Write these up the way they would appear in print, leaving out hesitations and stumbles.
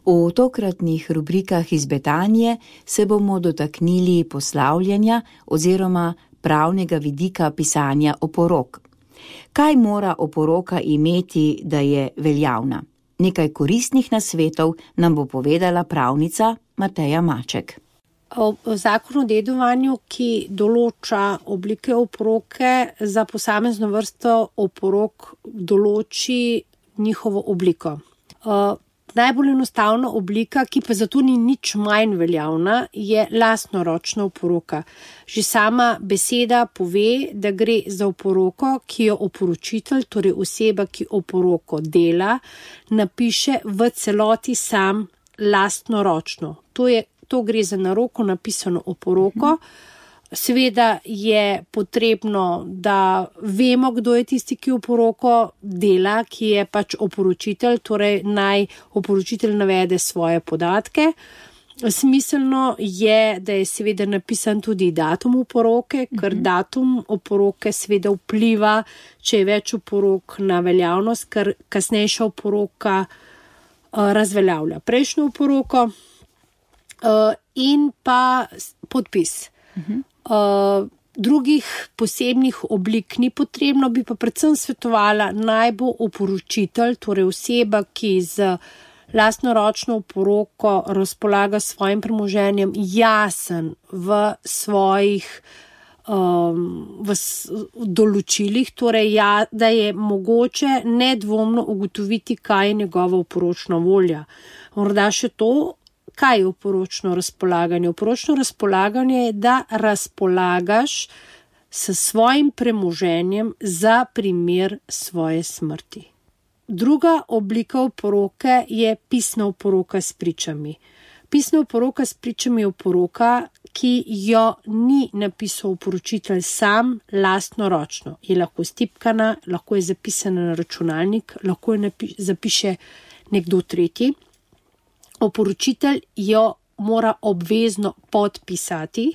V tokratnih rubrikah iz Betanije se bomo dotaknili poslavljanja oziroma pravnega vidika pisanja oporok. Kaj mora oporoka imeti, da je veljavna? Nekaj koristnih nasvetov nam bo povedala pravnica Mateja Maček. Zakon o dedovanju, ki določa oblike oporoke, za posamezno vrsto oporok določi njihovo obliko. Najbolj enostavna oblika, ki pa zato ni nič manj veljavna, je lastnoročna oporoka. Že sama beseda pove, da gre za oporoko, ki jo oporočitelj, torej oseba, ki oporoko dela, napiše v celoti sam lastnoročno. To gre za na roko napisano oporoko. Seveda je potrebno, da vemo, kdo je tisti, ki oporoko dela, ki je pač oporočitelj, torej naj oporočitelj navede svoje podatke. Smiselno je, da je seveda napisan tudi datum oporoke, ker datum oporoke seveda vpliva, če je več oporok, na veljavnost, ker kasnejša oporoka razveljavlja prejšnjo oporoko. In pa podpis. Drugih posebnih oblik ni potrebno, bi pa predvsem svetovala, naj bo oporočitelj, torej oseba, ki z lastnoročno oporoko razpolaga svojim premoženjem, jasen v svojih določilih, torej da je mogoče nedvomno ugotoviti, kaj je njegova oporočna volja. Morda še to, kaj je oporočno razpolaganje? Oporočno razpolaganje je, da razpolagaš s svojim premoženjem za primer svoje smrti. Druga oblika oporoke je pisna oporoka s pričami. Pisna oporoka s pričami je oporoka, ki jo ni napisal oporočitelj sam lastnoročno. Je lahko stipkana, lahko je zapisana na računalnik, lahko je zapiše nekdo tretji. Oporočitelj jo mora obvezno podpisati,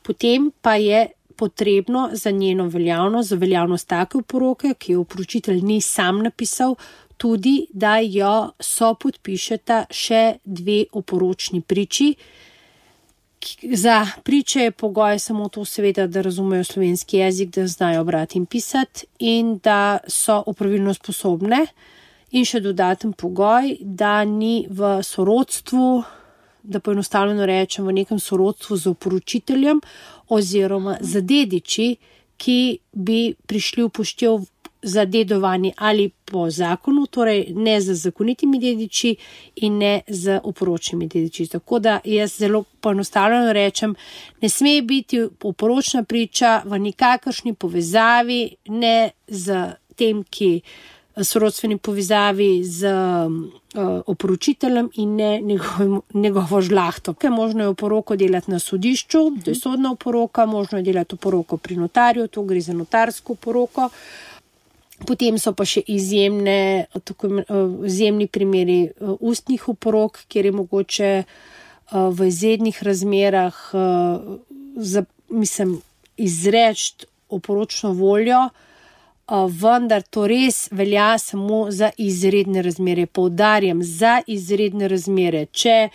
potem pa je potrebno za njeno veljavnost, za veljavnost take oporoke, ki jo oporočitelj ni sam napisal, tudi, da jo sopodpišeta še dve oporočni priči. Za priče je pogoj samo to seveda, da razumejo slovenski jezik, da znajo brati in pisati in da so opravilno sposobne. In še dodaten pogoj, da ni v sorodstvu, da poenostavljeno rečem, v nekem sorodstvu z oporočiteljem oziroma z dediči, ki bi prišli v poštev za dedovanje ali po zakonu, torej ne z zakonitimi dediči in ne z oporočnimi dediči. Tako da jaz zelo poenostavljeno rečem, ne sme biti oporočna priča v nikakršni povezavi, ne z tem, ki sorodstveni povezavi z oporočiteljem in ne njegovo žlahto. Možno je oporoko delati na sodišču, to je sodna oporoka, možno je delati oporoko pri notarju, to gre za notarsko oporoko. Potem so pa še izjemni primeri ustnih oporok, kjer je mogoče v izrednih razmerah izreči oporočno voljo, vendar to res velja samo za izredne razmere. Poudarjam, za izredne razmere. Če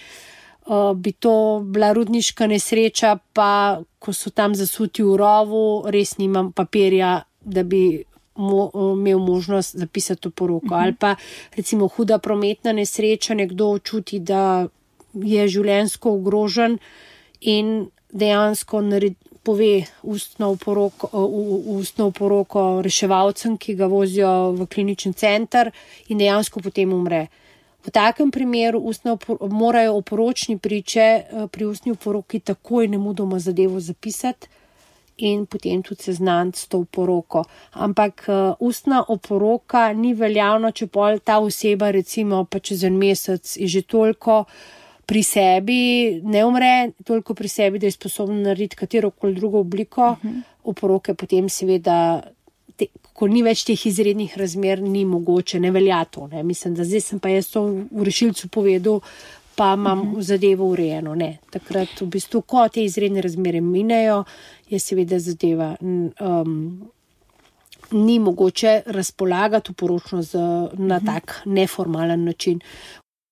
bi to bila rudniška nesreča, pa ko so tam zasuti v rovu, res nimam papirja, da bi imel možnost zapisati oporoko. Ali pa recimo huda prometna nesreča, nekdo čuti, da je življenjsko ogrožen in dejansko pove ustno oporoko reševalcem, ki ga vozijo v klinični center in dejansko potem umre. V takem primeru morajo oporočni priče pri ustni oporoki takoj nemudoma zadevo zapisati in potem tudi seznaniti s to oporoko. Ampak ustna oporoka ni veljavna, če pol ta oseba recimo pa čez en mesec je že toliko pri sebi, ne umre, toliko pri sebi, da je sposobno narediti katerokoli drugo obliko oporoke, potem seveda, ko ni več teh izrednih razmer, ni mogoče, ne velja to. Ne. Mislim, da zdaj sem pa jaz to v rešilcu povedal, pa imam zadevo urejeno. Ne. Takrat v bistvu, ko te izredne razmere minejo, je seveda zadeva ni mogoče razpolagati oporočno na tak neformalen način.